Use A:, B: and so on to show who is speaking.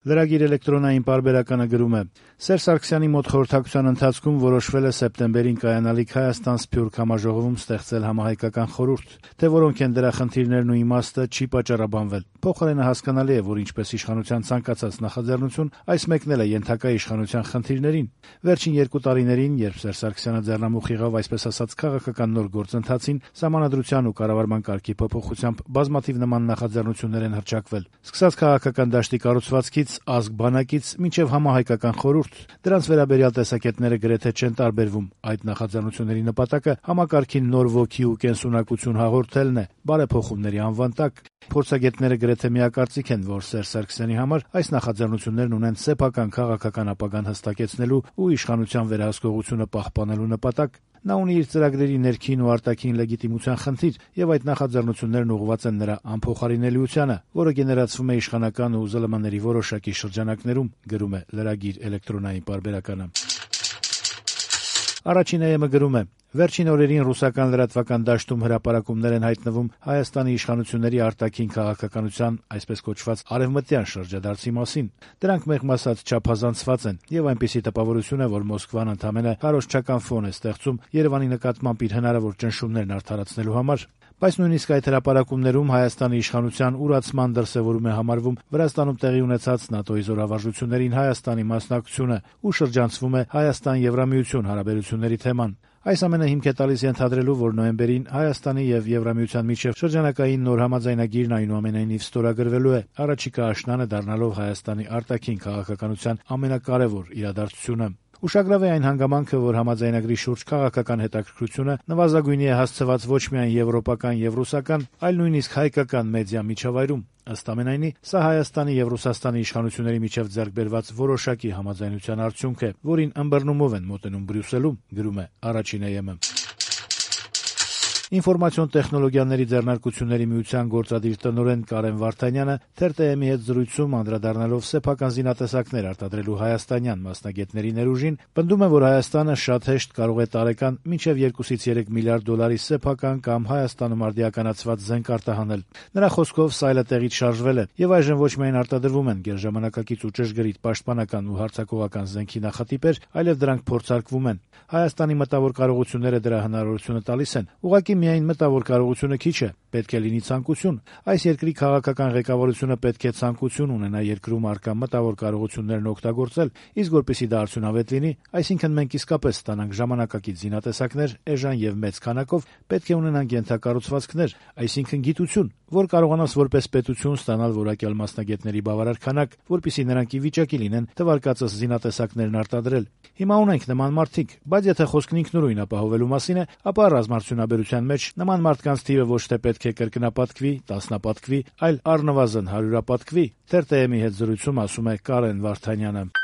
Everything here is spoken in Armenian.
A: Լրագիր էլեկտրոնային պարբերականը գրում է. Սերժ Սարգսյանի մոտ խորհրդակցության ընթացքում որոշվել է սեպտեմբերին կայանալիք Հայաստան-Սփյուռք համաժողովում ստեղծել համահայկական խորհուրդ, թե որոնք են դրա խնդիրներն ու իմաստը չի պատճառաբանվել։ Փոխարենը հասկանալի է, որ ինչպես իշխանության ցանկացած նախաձեռնություն, այս մեկնել է ենթակա իշխանության խնդիրներին։ Վերջին 2 տարիներին, երբ Սերժ Սարգսյանը ձեռնամուխ եղավ այսպես ասած քաղաքական նոր գործընթացին, Սահմանադրության ու կառավարման կարգի փոփոխությամբ բազմաթիվ նման նախաձեռնություններ են հռչակվել։ Սկսած քաղաքական դաշտի կառուցվածքից, ազգ բանակից մինչև համահայկական խորհուրդ, դրանց վերաբերյալ տեսակետները գրեթե չեն տարբերվում։ Այդ նախաձեռնությունների նպատակը համակարգին նոր ոգի ու կենսունակություն հաղորդելն է, բարեփոխումների անվան տակ։ Փորձագետները գրեթե միակարծիք են, որ Սերժ Սարգսյանի համար այս նախաձեռնություններն ունեն սեփական քաղաքական ապագան հստակեցնելու ու իշխանության վերահսկողությունը պահպանելու նպատակ։ Նա ունի իր ծրագրերի ներքին ու արտաքին լեգիտիմության խնդիր, եւ այդ նախաձեռնություններն ուղղված են նրա անփոխարինելիությանը, որը գեներացվում է իշխանական ու ԶԼՄ-ների որոշակի շրջանակներում, գրում է լրագիր էլեկտրոնային պարբերականը։ Առաջին ԵՄ գրում է. Վերջին օրերին ռուսական լրատվական դաշտում հրապարակումներ են հայտնվում Հայաստանի իշխանությունների արտաքին քաղաքականության այսպես կոչված արևմտյան շրջադարձի մասին։ Դրանք մեղմ ասած չափազանցված են, եւ այնպիսի տպավորություն է, որ Մոսկվան ընդամենը քարոզչական ֆոն է ստեղծում Երևանի նկատմամբ իր հնարավոր ճնշումներն արդարացնելու համար։ Բայց նույնիսկ այդ հրապարակումներում Հայաստանի իշխանության ուրացման դրսևորում է համարվում Վրաստանում տեղի ունեցած ՆԱՏՕ-ի զորավարժություններին Հայաստանի մասնակցությունը ու շրջանցվում է Հայաստան-Եվրամիություն հարաբերությունների թեման։ Այս ամենը հիմք է տալիս ենթադրելու, որ նոյեմբերին Հայաստանի եւ Եվրամիության միջև շրջանակային նոր համաձայնագիրն այնուամենայնիվ ստորագրվելու է, առաջիկա աշնանը դառնալով Հայաստանի արտաքին քաղաքականության ամենակարևոր իրադարձությունը։ Ուշագրավ է այն հանգամանքը, որ համաձայնագրի շուրջ քաղաքական հետաքրքրությունը նվազագույնի է հասցված ոչ միայն եվրոպական եւ ռուսական, այլ նույնիսկ հայկական մեդիա միջավայրում։ Ըստ ամենայնի, սա Հայաստանի եւ Ռուսաստանի իշխանությունների միջև ձեռք բերված որոշակի համաձայնության արդյունք է, որին ըմբռնումով են մոտենում Բրյուսելում, գրում է առաջին ԵՄ։ Ինֆորմացիոն տեխնոլոգիաների ձեռնարկությունների միության գործադիր տնօրեն Կարեն Վարդանյանը TRT-ի հետ զրույցում անդրադառնալով սեփական զինատեսակներ արտադրելու հայաստանյան մասնագետների ներուժին, պնդում է, որ Հայաստանը շատ հեշտ կարող է տարեկան մինչև 2-ից 3 միլիարդ դոլարի սեփական կամ Հայաստանում արդիականացված զենք արտահանել։ Նրա խոսքով սայլը տեղից շարժվել է, եւ այժմ ոչ միայն արտադրվում են գերժամանակակից ու ճշգրիտ պաշտպանական ու հարձակողական զենքի նախատիպեր, այլև դրանք փորձարկվում են։ Հայաստանի մտավոր կարողությունները դրա հնարավորությունը տալիս են։ Ուղղակի միայն մտավոր կարողությունը քիչ է, պետք է լինի ցանկություն։ Այս երկրի քաղաքական ղեկավարությունը պետք է ցանկություն ունենա երկրում առկա մտավոր կարողություններն օգտագործել, իսկ որպեսզի դա արդյունավետ լինի, այսինքն մենք իսկապես ստանանք ժամանակակից զինատեսակներ, էժան եւ մեծ քանակով, պետք է ունենանք ենթակառուցվածքներ, այսինքն գիտություն, որ կարողանաս որպես պետություն ստանալ որակյալ մասնագետների բավարար քանակ, որպեսզի նրանք ի վիճակի լինեն թվարկածս զինատեսակներն արտադրել։ Հիմա ունենք նման մարդիկ, բայց եթե խոսքն ինքնուրույն ապահովելու մասին է, ապա ռազմարդյունաբերության մեջ նման մարդկանց թիվը ոչ թե պետք է կրկնապատկվի, տասնապատկվի, այլ առնվազն 100-ապատկվի, TRT-ի հետ զրույցում ասում է Կարեն Վարդանյանը։